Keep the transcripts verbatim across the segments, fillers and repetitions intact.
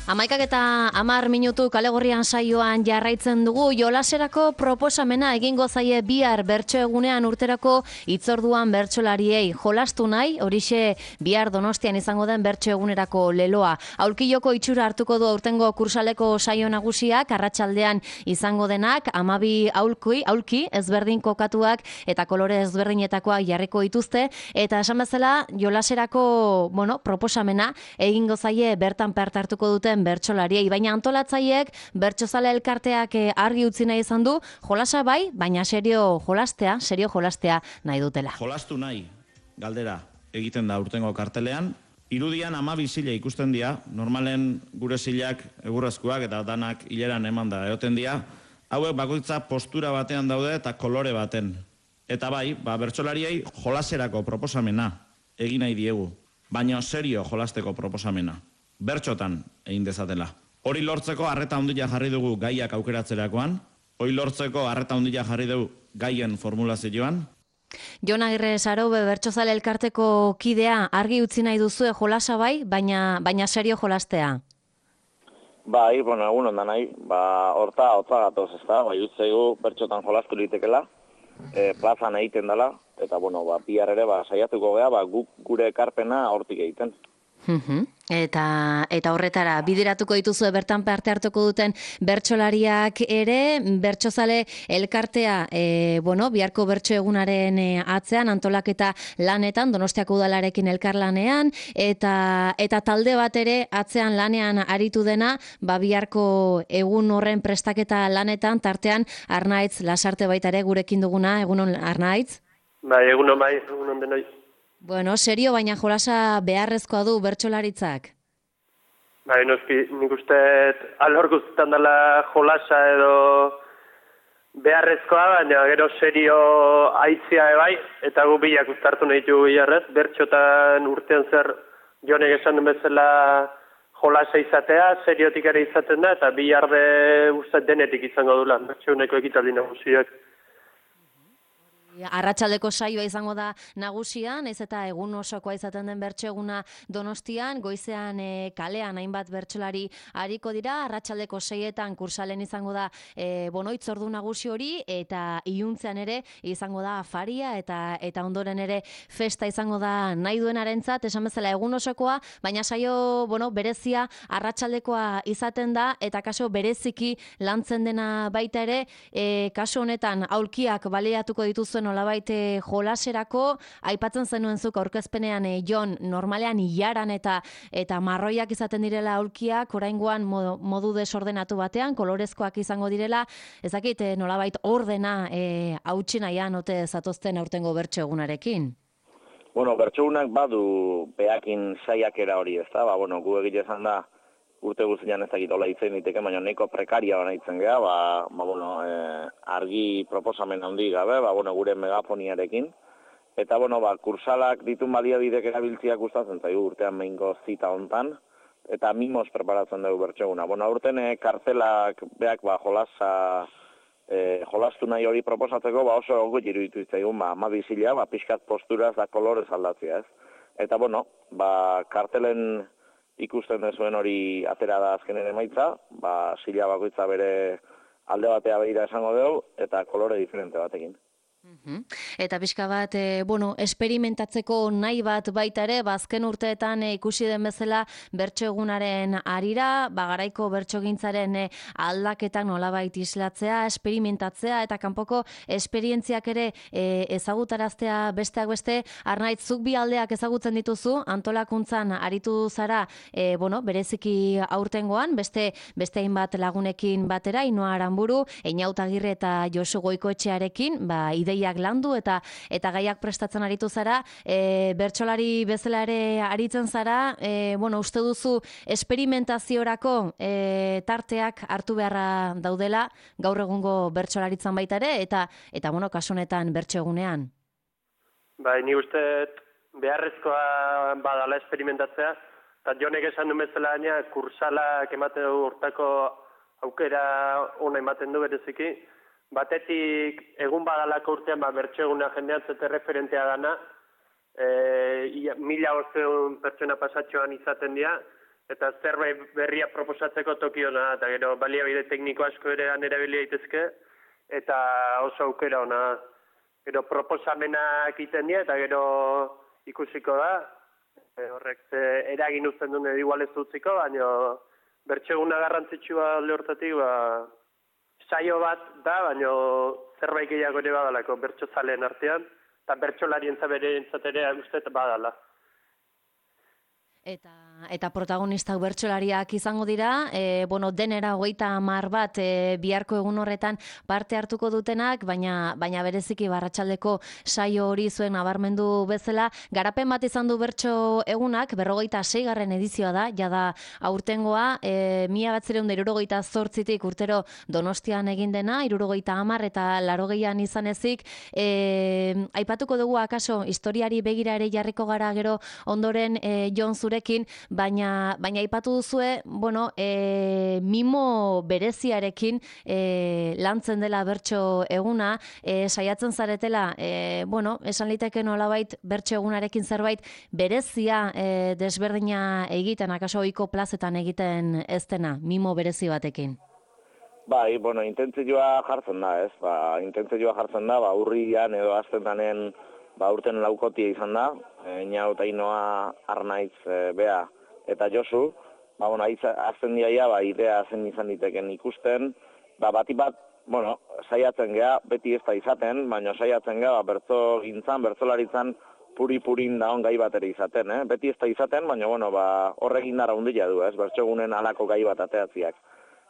Hamaikak eta hamar minutu kalegorrian saioan jarraitzen dugu. Jolaserako proposamena egingo zaie bihar bertso egunean urterako hitzorduan bertsolariei. Jolastu nahi, horixe bihar Donostian izango den bertso egunerako leloa. Aulkiloko itxura hartuko du aurtengo kursaleko saio nagusiak, arratsaldean izango denak, hamabi aulki, aulki ezberdin kokatuak eta kolore ezberdinetakoak jarriko dituzte, eta esan bezala jolaserako, bueno, proposamena egingo zaie bertan parte hartuko dute bertsolariei, baina antolatzaileek bertsozale elkarteak argi utzi nahi izan du, jolasa bai, baina serio jolastea, serio jolastea nahi dutela. Jolastu nahi, galdera egiten da urtengo kartelean, irudian hamabi zile ikusten dira, normalen gure zilak egurrezkoak eta danak hileran eman da egoten dira, hauek bakoitza postura batean daude eta kolore baten. Eta bai, ba, bertsolariei jolaserako proposamena egin nahi diegu, baina serio jolasteko proposamena. Bertxotan egin dezatela. Hori lortzeko harreta handia jarri dugu gaiak aukeratzerakoan, hori lortzeko harreta handia jarri dugu gaien formulazioan. Jon Agirre Sarobe bertsozale elkarteko kidea, argi utzi nahi duzue jolasa bai, baina baina serio jolastea. Bai, bueno, egun ondan nahi, ba, horta, hotza gatoz, ez da, bai, utzeigu bertxotan jolastu litekela, e, plazan egiten dela, eta, bueno, ba, bihar ere, ba, saiatuko gea, ba, guk gure ekarpena hortik egiten. Eta eta horretara bideratuko dituzue bertan parte hartuko duten bertsolariak ere, bertsozale elkartea, e, bueno, biharko bertso egunaren e, atzean antolaketa lanetan, Donostiako udalarekin elkarlanean, eta eta talde bat ere atzean lanean aritu dena, ba biharko egun horren prestaketa lanetan, tartean Arnaitz Lasarte baita ere gurekin duguna, egunon Arnaitz? Bai, egunon bai, egunon denoi. Bueno, serio, baina jolasa beharrezkoa du bertsolaritzak? Bai, noski, nik uste alhor guztetan dela jolasa edo beharrezkoa, baina gero serio aitzia bai, eta gu bilak uztartu nahi dugu biharrez, bertxotan urtean zer jonek esan den bezala jolasa izatea, seriotik ere izaten da, eta biharde uste denetik izango dula, bertxoneko ekitaldi nagusiak. Arratsaldeko saioa izango da nagusian, ez eta egun osokoa izaten den bertso eguna Donostian, goizean e, kalean hainbat bertsolari ariko dira, arratsaldeko seietan kursalen izango da e, bono hitzordu nagusi hori, eta iluntzean ere izango da afaria, eta eta ondoren ere festa izango da nahi duenarentzat, esan bezala egun osokoa, baina saio, bueno, berezia arratsaldekoa izaten da, eta kaso bereziki lantzen dena baita ere, e, kaso honetan aulkiak baliatuko dituzuen nolabait jolaserako, aipatzen zenuen zuk aurkezpenean e, Jon, normalean ilaran eta eta marroiak izaten direla aulkiak, oraingoan modu, modu desordenatu batean, kolorezkoak izango direla, ezakit e, nolabait ordena e, hautsi nahian ote zatozten aurtengo bertso egunarekin. Bueno, bertso egunak badu behakin saiakera hori, ez da, ba, bueno, gu egite izan da, urte guztian ez dakit hola itzen diteke, baina nahiko prekaria bana itzen geha, ba, ba, bueno, e, argi proposamen handi gabe, ba, bueno, gure megafoniarekin. Eta, bueno, ba, kursalak ditun baliabidek erabiltziak gustatzen zaigu urtean mehingo zita hontan, eta mimos preparatzen dugu bertxeguna. Bueno, urten e, kartelak beak, ba, jolasa, e, jolastu nahi hori proposatzeko, ba, oso gogo iruditu itzaigun, ba, amabizila, ba, pixkat posturaz da kolorez aldatzea, ez. Eta, bueno, ba, kartelen ikusten dezuen hori atera da azkenen emaitza, ba, sila bakoitza bere alde batea behira esango dugu, eta kolore diferente batekin. Eta pixka bat, e, bueno, esperimentatzeko nahi bat baita ere, bazken urteetan e, ikusi den bezala bertso egunaren arira, bagaraiko bertsogintzaren e, aldaketak nolabait islatzea, esperimentatzea, eta kanpoko esperientziak ere e, ezagutaraztea besteak beste. Arnaitz, zuk bi aldeak ezagutzen dituzu, antolakuntzan aritu zara, e, bueno, bereziki aurtengoan, beste beste hainbat lagunekin batera, Inoa Aranburu, Einaut Agirre eta Josu Goikoetxearekin, ba, ideiak landu eta eta gaiak prestatzen aritu zara, e, bertsolari bezala ere aritzen zara, e, bueno, uste duzu esperimentaziorako e, tarteak hartu beharra daudela gaur egungo bertsolaritzan baita ere, eta eta bueno, kasu honetan bertso egunean. Bai, ni uste beharrezkoa badala esperimentatzea, eta Jonek esan du bezala gaina kursalak ematen du hortako aukera ona ematen du bereziki. Batetik, egun badalako urtean, ba, bertso eguna jendean zete referentea dana, e, mila ozeun pertsona pasatxoan izaten dira, eta zerbait berria proposatzeko tokiona, eta gero baliabide tekniko asko ere erabili daitezke, eta oso aukera ona. Gero proposamenak egiten dira, eta gero ikusiko da, e, horrek ze eragin uzten duen igual ez utziko, baina bertseguna garrantzitsua alde hortatik, ba, saio bat da, baina zerbait gehiago ere badalako bertso zaleen artean, eta bertsolarien zabere entzatere uste badala. Eta, eta protagonistak bertsolariak izango dira, e, bueno, denera hogeita hamar bat e, biharko egun horretan parte hartuko dutenak, baina, baina bereziki barratsaldeko saio hori zuen nabarmendu bezala, garapen bat izan du bertso egunak, berrogeita seigarren edizioa da, jada aurtengoa, e, mila batzireun da hirurogeita zortzitik urtero Donostian egin dena, hirurogeita hamar eta larogeian izan ezik, e, aipatuko dugu akaso historiari begira ere jarriko gara gero ondoren e, Jon Zure baina baina aipatu duzue, bueno, e, mimo bereziarekin e, lantzen dela bertso eguna, e, saiatzen zaretela, e, bueno, esan liteke nolabait bertso egunarekin zerbait berezia e, desberdina egiten, akaso ohiko plazetan egiten ez dena, mimo berezi batekin. Bai, bueno, intentzioa jartzen da, ez? Ba, intentzioa jartzen da, ba, urrian edo aztentanen ba, urten laukotia izan da, e, Inau eta Inoa, Arnaiz, e, Bea eta Josu, ba, bueno, azten diaia, ba, idea zen izan diteken ikusten, ba, bati bat, bueno, saiatzen gea, beti ez da izaten, baina saiatzen gea, ba, bertso gintzan, bertsolaritzan, puri-purin daon gai bat ere izaten, eh? Beti ez da izaten, baina, bueno, ba, horrekin dara hundia du, ez? Bertsogunen alako gai bat ateatziak.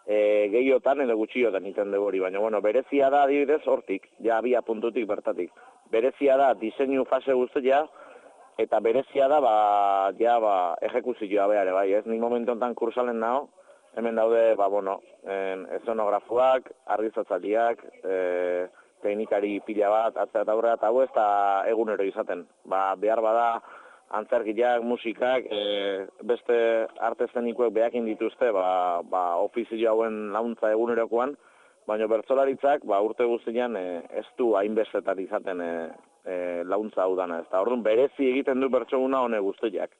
E, gehiotan edo gutxiotan iten dugu hori, baina, bueno, berezia da, adibidez, hortik, ja, abia puntutik bertatik. Berezia da diseinu fase guztia, eta berezia da, ba, ja, ba, ejekuzioa behar, bai, ez? Nik momentu enten kursalen nago, hemen daude, ba, bueno, eszonografuak, argizatzaliak, e, teknikari pila bat, atzea eta aurrera, eta hau ez da egunero izaten. Ba, behar bada, antzerkiak, musikak, e, beste arte eszenikoek behakin dituzte, ba, ba, ofizio hauen launtza egunerokoan, baina bertsolaritzak ba, urte guztian e, ez du hainbestetan izaten e, e, launtza hau dana. Eta orduan berezi egiten du bertsoguna hone guztiak.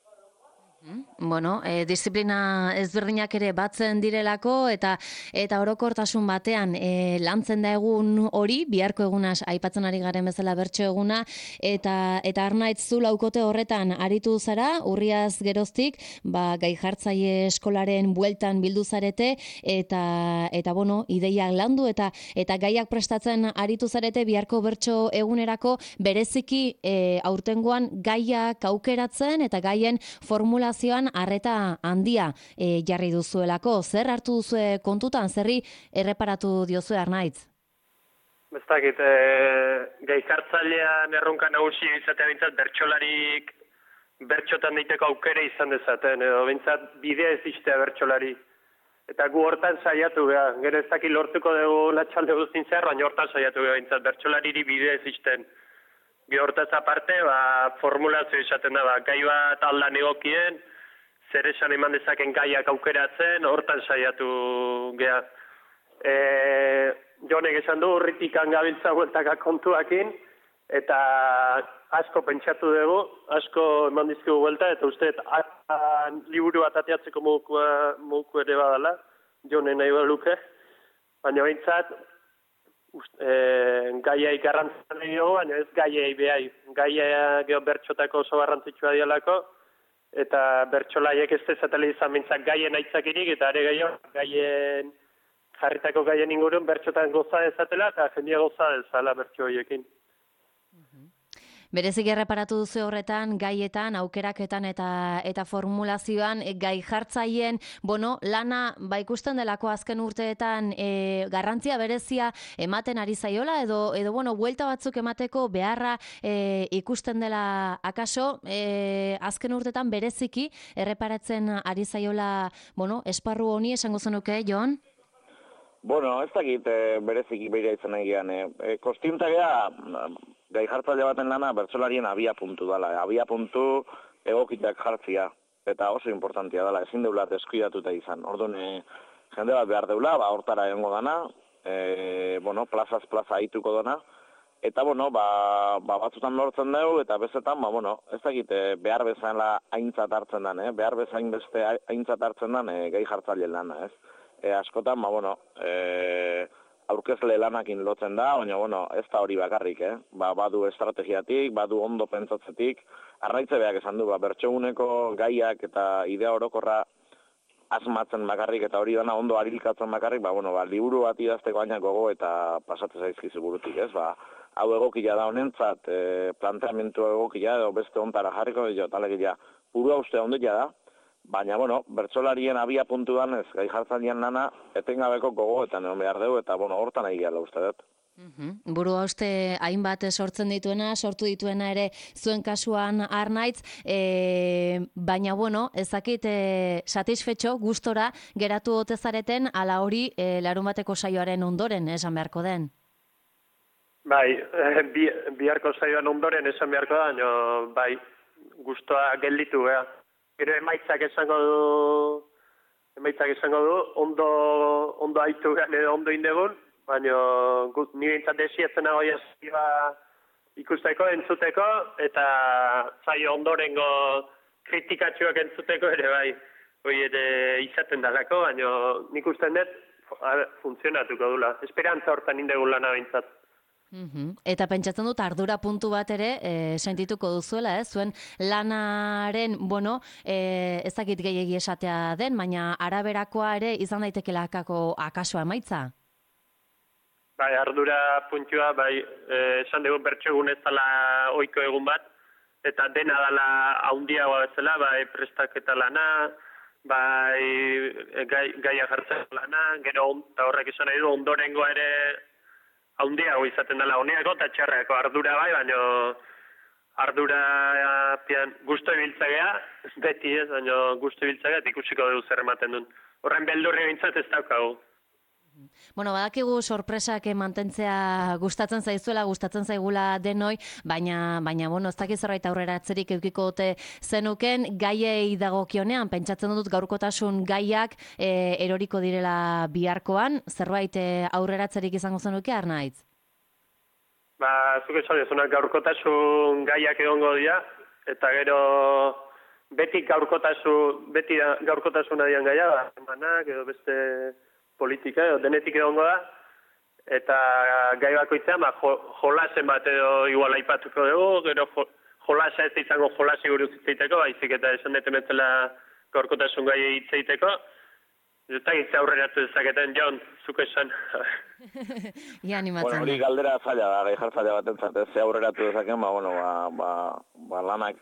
Bueno, e, disiplina ezberdinak ere batzen direlako eta eta orokortasun batean e, lantzen da egun hori, biharko egunaz aipatzen ari garen bezala bertso eguna, eta eta Arnaitz zu laukote horretan aritu zara, urriaz geroztik, ba, gai jartzaile eskolaren bueltan bildu zarete, eta, eta bueno, ideiak landu eta eta gaiak prestatzen aritu zarete biharko bertso egunerako bereziki e, aurtengoan gaiak aukeratzen eta gaien formula arreta handia e, jarri duzuelako. Zer hartu duzue kontutan, zerri erreparatu diozue Arnaitz? Ez dakit, e, gai jartzailean erronka nagusi izatea bintzat bertsolarik bertxotan daiteko aukera izan dezaten, edo bintzat bidea ez iztea bertsolari. Eta gu hortan saiatu beha, gero ez dakit lortuko dugu latxalde guztin zer, baina hortan saiatu beha bintzat bertsolariri bidea ez izten. Gero hortaz aparte, ba, formulazio izaten da, ba, gai bat aldan egokien, zer esan eman dezaken gaiak aukeratzen, hortan saiatu geha. E, Jonek esan du, urritikan gabiltza bueltaka kontuakin, eta asko pentsatu dugu, asko eman dizkigu buelta, eta uste, liburu bat ateatzeko moduko ere badala, Jone nahi baluke, baina behintzat, E, gaiai garrantzan dugu, baina ez gaiai behai. Gaia geho bertxotako oso garrantzitsua dialako, eta bertxolaiek ez dezatela izan bintzak gaien aitzakirik, eta are gehiago gaien jarritako gaien ingurun bertxotan goza dezatela, eta jendia goza dezala bertxo horiekin. Berezik erreparatu duzu horretan, gaietan, aukeraketan eta eta formulazioan, gai jartzaien, bueno, lana ba ikusten delako azken urteetan e, garrantzia berezia ematen ari zaiola, edo, edo bueno, buelta batzuk emateko beharra e, ikusten dela akaso, e, azken urteetan bereziki erreparatzen ari zaiola, bueno, esparru honi esango zenuke, Jon? Bueno, ez dakit e, bereziki behira izan egian. E, Kostiuntzagea, gai jartzaile baten lana bertsolarien abia puntu dela. Abia puntu egokitak jartzia. Eta oso importantia dela, ezin deula deskuidatuta izan. Orduan, e, jende bat behar deula, ba, hortara egongo dana, e, bueno, plazaz plaza haituko dana, Eta, bueno, ba, ba batzutan lortzen dugu, eta bezetan, ba, bueno, ez dakit, e, behar bezala aintzat hartzen den, eh? behar bezain beste aintzat hartzen den e, gehi jartzaile lana, ez? E, askotan, ba, bueno, e, aurkezle lanakin lotzen da, baina, bueno, ez da hori bakarrik, eh? Ba, badu estrategiatik, badu ondo pentsatzetik, arraitze behar esan du, ba, bertsoguneko gaiak eta idea orokorra asmatzen bakarrik eta hori dana ondo arilkatzen bakarrik, ba, bueno, ba, liburu bat idazteko baina gogo eta pasatzen zaizkizu burutik, ez? Ba, hau egokia da honentzat, e, planteamentu egokia edo beste ontara jarriko, jo, talegia, burua uste ondetia da, baina, bueno, bertsolarien abia puntuan ez, gai jartzailean lana, etengabeko gogo eta neon behar dugu, eta, bueno, hortan nahi gehala uste dut. Uhum. Burua uste hainbat sortzen dituena, sortu dituena ere zuen kasuan Arnaitz, e, baina bueno, ezakit e, satisfetxo, gustora geratu ote zareten ala hori e, larun bateko saioaren ondoren esan beharko den? Bai, eh, bi, biharko saioan ondoren esan beharko da, baina bai, gustoa gelditu, ea. Gero emaitzak esango du, emaitzak esango du, ondo, ondo haitu gehan edo ondo indegun, baina nire intzat desietzen hau jazioa ikusteko, entzuteko, eta zaio ondorengo kritikatxoak entzuteko ere bai, hori ere izaten dalako, baina nik usten dut funtzionatuko dula. Esperantza hortan indegun lana bintzat. Uhum. Eta pentsatzen dut ardura puntu bat ere e, sentituko duzuela, eh? Zuen lanaren, bueno, e, ez dakit gehiegi esatea den, baina araberakoa ere izan daitekela akako akaso emaitza? Bai, ardura puntua, bai, eh, esan dugu bertsogun ez dela ohiko egun bat, eta dena dela haundiagoa bezala, bai, prestaketa lana, bai, gai, gaia jartzen lana, gero eta horrek esan nahi du, ondorengo ere haundiago izaten dela, honeako eta txarrako ardura bai, baina ardura pian gusto ibiltzagea, beti ez, baina gusto ibiltzagea, ikusiko dugu zer ematen duen. Horren beldurri bintzat ez daukagu. Bueno, badakigu sorpresak mantentzea gustatzen zaizuela, gustatzen zaigula denoi, baina, baina bueno, ez dakiz zerbait aurrera atzerik eukiko ote zenuken, gaiei dagokionean, pentsatzen dut gaurkotasun gaiak e, eroriko direla biharkoan, zerbait e, aurrera atzerik izango zenuke, Arnaitz? Ba, zuk esan dezunak gaurkotasun gaiak egongo dira, eta gero beti gaurkotasun, beti gaurkotasuna dian gaia, ba, emanak edo beste politika, edo denetik egongo da, eta gai bakoitzean, ba, jo, jolasen bat edo igual aipatuko dugu, gero jo, jolasa ez izango jolasi buruz hitzeiteko, baizik eta esan deten betzela gaurkotasun gai hitzeiteko, eta hitze aurreratu dezaketen, Jon, zuk esan. Ia animatzen. Bueno, hori galdera zaila da, gai jartzaila bat entzat, ez aurreratu dezaken, ba, bueno, ba, ba, ba lanak,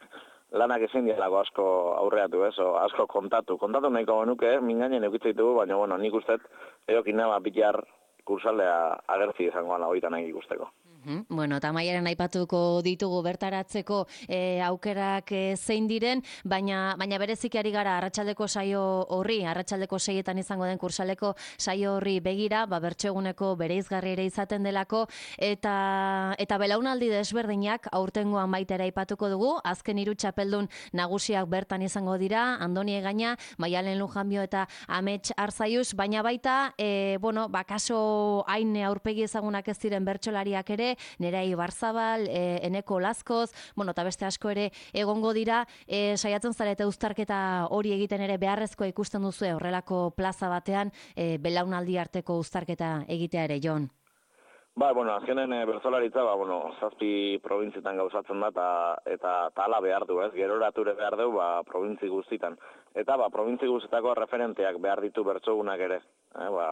lanak ezin dialako asko aurreatu, ez, o, asko kontatu. Kontatu nahiko genuke, mingainen eukitzitugu, baina, bueno, nik ustet, edokin nama bilar kursalea agertzi izango gana horitan nahi ikusteko. Uhum. Bueno, eta maiaren aipatuko ditugu bertaratzeko e, aukerak e, zein diren, baina, baina bereziki ari gara arratsaldeko saio horri, arratsaldeko seietan izango den kursaleko saio horri begira, ba, bertsoeguneko bereizgarri ere izaten delako, eta, eta belaunaldi desberdinak aurtengoan baita ere aipatuko dugu, azken hiru txapeldun nagusiak bertan izango dira, Andoni Egaña, Maialen Lujanbio eta Amets Arzaius, baina baita, e, bueno, ba, kaso hain aurpegi ezagunak ez diren bertsolariak ere, Nerai Barzabal, e, Eneko Lazkoz, bueno, eta beste asko ere egongo dira, e, saiatzen zarete uztarketa hori egiten ere beharrezkoa ikusten duzu horrelako plaza batean, e, belaunaldi arteko uztarketa egitea ere, Jon? Ba, bueno, azkenen e, bertsolaritza, ba, bueno, zazpi provintzietan gauzatzen da, eta, eta tala behar du, ez, gerorature behar du, ba, provintzi guztitan. Eta, ba, provintzi guztietako referenteak behar ditu bertsogunak ere, eh, ba,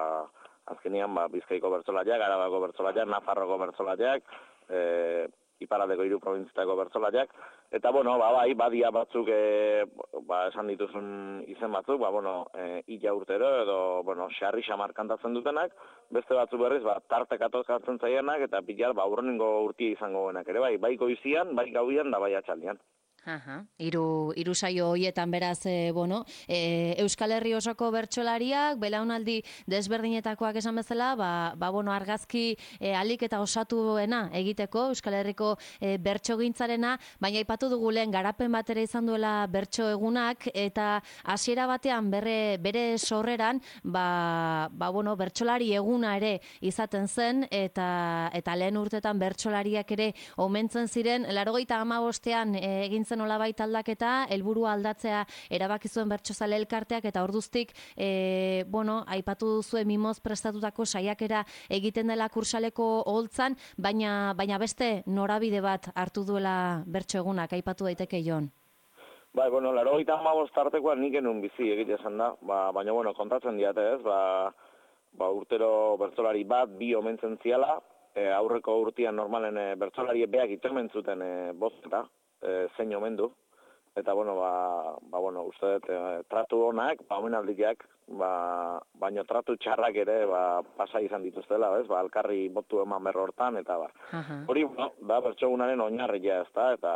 azkenian, ba, Bizkaiko bertsolariak, Arabako bertsolariak, Nafarroko bertsolariak, e, Iparraldeko hiru probintzietako bertsolariak, eta, bueno, ba, bai, badia batzuk, e, ba, esan dituzun izen batzuk, ba, bueno, e, illa urtero, edo, bueno, xarri xamar kantatzen dutenak, beste batzu berriz, ba, tartek atokatzen zaienak, eta pilar, ba, urrenengo urtia izango genak ere, bai, bai goizian, bai gauian, da bai atxaldian. Aha, iru, iru saio hoietan beraz, e, bueno, e, Euskal Herri osoko bertsolariak, belaunaldi desberdinetakoak esan bezala, ba, ba bueno, argazki e, alik eta osatuena egiteko Euskal Herriko e, bertsogintzarena, baina aipatu dugu lehen garapen batera izan duela bertso egunak, eta hasiera batean berre, bere sorreran, ba, ba bueno, bertsolari eguna ere izaten zen, eta, eta lehen urtetan bertsolariak ere omentzen ziren, laurogeita hamabostean e, egin zen nolabait aldaketa, helburua aldatzea erabaki zuen bertsozale elkarteak, eta orduztik, e, bueno, aipatu duzue mimoz prestatutako saiakera egiten dela kursaleko oholtzan, baina, baina beste norabide bat hartu duela bertso egunak, aipatu daiteke Jon. Bai, bueno, laurogeita hamabost tartekoan nik genuen bizi egite esan da, ba, baina, bueno, kontatzen diate ez, ba, ba urtero bertsolari bat, bi omentzen ziala, e, aurreko urtean normalen e, bertsolari beak itemen zuten e, bozketa, E, zein omendu, eta bueno, ba, ba bueno, uste dut, e, tratu honak, ba, omenaldiak, ba, baino tratu txarrak ere, ba, pasa izan dituztela, bez, ba, alkarri botu eman berro hortan, eta ba, hori, bueno, da, bertsogunaren oinarria ez da, eta,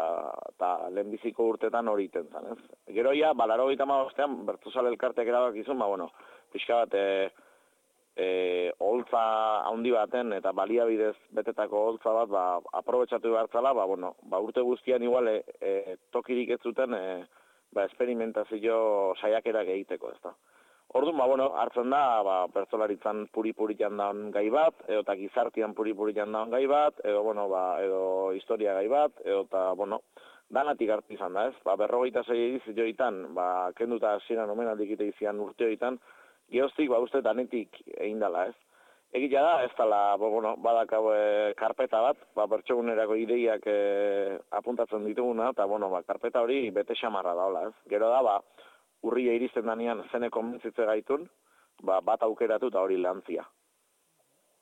eta lehenbiziko urtetan hori iten zen, ez. Gero ja, ba, laurogeita hamabostean, bertsozale elkarteak erabakizun, ba, bueno, pixka bat, e, E, holtza handi baten eta baliabidez betetako holtza bat ba, aprobetxatu behartzala, ba, bueno, ba, urte guztian igual e, e, tokirik ez zuten e, ba, esperimentazio saiakerak egiteko, ez da. Orduan, ba, bueno, hartzen da, ba, bertsolaritzan puri-puritan daun gai bat, edo eta gizartian puri-puritan daun gai bat, edo, bueno, ba, edo historia gai bat, edo eta, bueno, danatik hartu izan da, ez? Ba, berrogeita zei ediz joitan, ba, kenduta hasieran omenaldik ite izian urte joitan, Geoztik, ba, uste danetik egin dela, ez? Egitea da, ez dela, bo, bueno, badakau e, karpeta bat, ba, bertsogunerako ideiak e, apuntatzen dituguna, eta, bueno, ba, karpeta hori bete xamarra daola, ez? Gero da, ba, urria iristen danean zene konbentzitze gaitun, ba, bat aukeratu eta hori lantzia.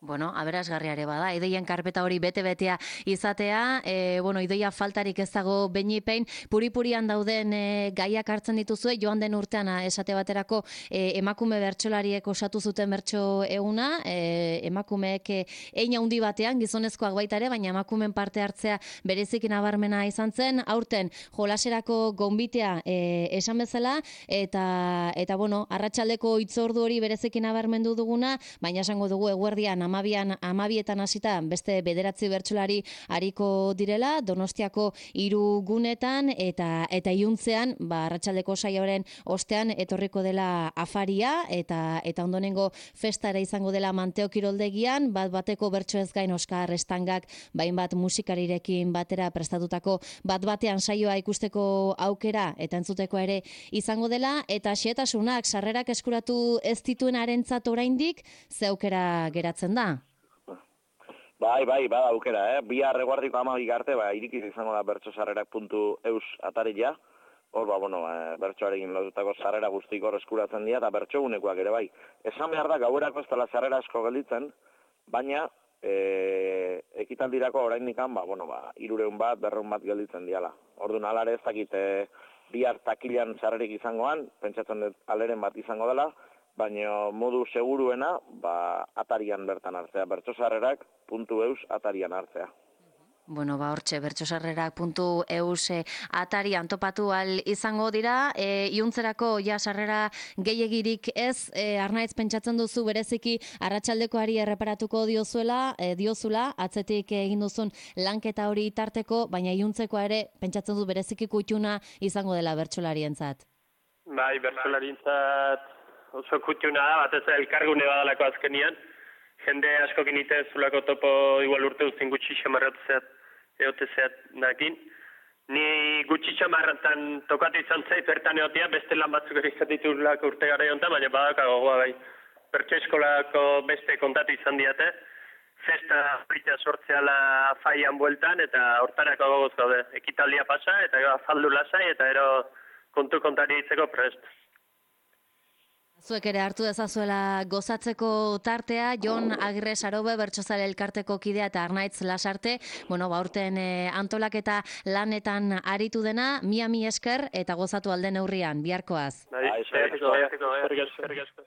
Bueno, aberasgarriare bada, ideien karpeta hori bete-betea izatea, e, bueno, ideia faltarik ez dago beinipein, puri-purian dauden e, gaiak hartzen dituzue, joan den urtean esate baterako e, emakume bertsolariek osatu zuten bertso eguna, e, emakumeek e, hein handi batean, gizonezkoak baita ere, baina emakumen parte hartzea berezik nabarmena izan zen, aurten jolaserako gonbitea e, esan bezala, eta, eta bueno, arratsaldeko hitzordu hori berezik nabarmendu duguna, baina esango dugu eguerdian amabian, amabietan hasita beste bederatzi bertsolari ariko direla, Donostiako hiru gunetan, eta eta iuntzean, ba, arratsaldeko saioaren ostean etorriko dela afaria, eta eta ondonengo festara izango dela Manteo kiroldegian, bat bateko bertso ez gain Oskar Estangak, bain bat musikarirekin batera prestatutako bat batean saioa ikusteko aukera, eta entzuteko ere izango dela, eta xehetasunak sarrerak eskuratu ez dituen arentzat oraindik, ze aukera geratzen da? Bai, bai, bada aukera, eh? Bihar eguardiko amabik arte, ba, irikiz izango da bertsosarrerak puntu eus ataria. Hor, ba, bueno, e, bertsoarekin lotutako sarrera guztik hor eskuratzen dira, eta bertsogunekoak ere bai. Esan behar da, gauerako ez dela sarrera asko gelditzen, baina e, ekitaldirako oraindikan, ba, bueno, ba, irureun bat, berreun bat gelditzen diala. Orduan, alare ez dakit, e, bihar takilan sarrerik izangoan, pentsatzen dut aleren bat izango dela, baina modu seguruena, ba, atarian bertan hartzea, bertsosarrerak puntu eus atarian hartzea. Bueno, ba, hortxe, bertsosarrerak puntu eus atarian topatu al izango dira, e, iuntzerako ja sarrera gehiagirik ez, e, Arnaiz pentsatzen duzu bereziki arratsaldekoari erreparatuko diozuela, e, diozula, atzetik egin duzun lanketa hori tarteko, baina iuntzekoa ere pentsatzen du bereziki kutxuna izango dela bertsolarientzat. Bai, bertsolarientzat oso kutxuna da, batez elkargune badalako azkenian. Jende askokin ite zulako topo igual urte guztien gutxi xamarratzeat, eotezeat nakin. Ni gutxi xamarratan tokatu izan zait, bertan eotia, beste lan batzuk erizkatitu lako urte gara jonta, baina badaka gogoa bai. Bertso eskolako beste kontatu izan diate, festa brita sortzeala faian bueltan, eta hortarako gogoz gaude. Ekitaldia pasa, eta afaldu lasai, eta ero kontu kontari ditzeko prest. Zuek ere hartu dezazuela gozatzeko tartea, Jon Agirre Sarobe, bertsozale elkarteko kidea eta Arnaitz Lasarte, bueno, ba, urten e, antolaketa lanetan aritu dena, mia mi esker eta gozatu alden neurrian, biharkoaz. Bai, eskerrik asko.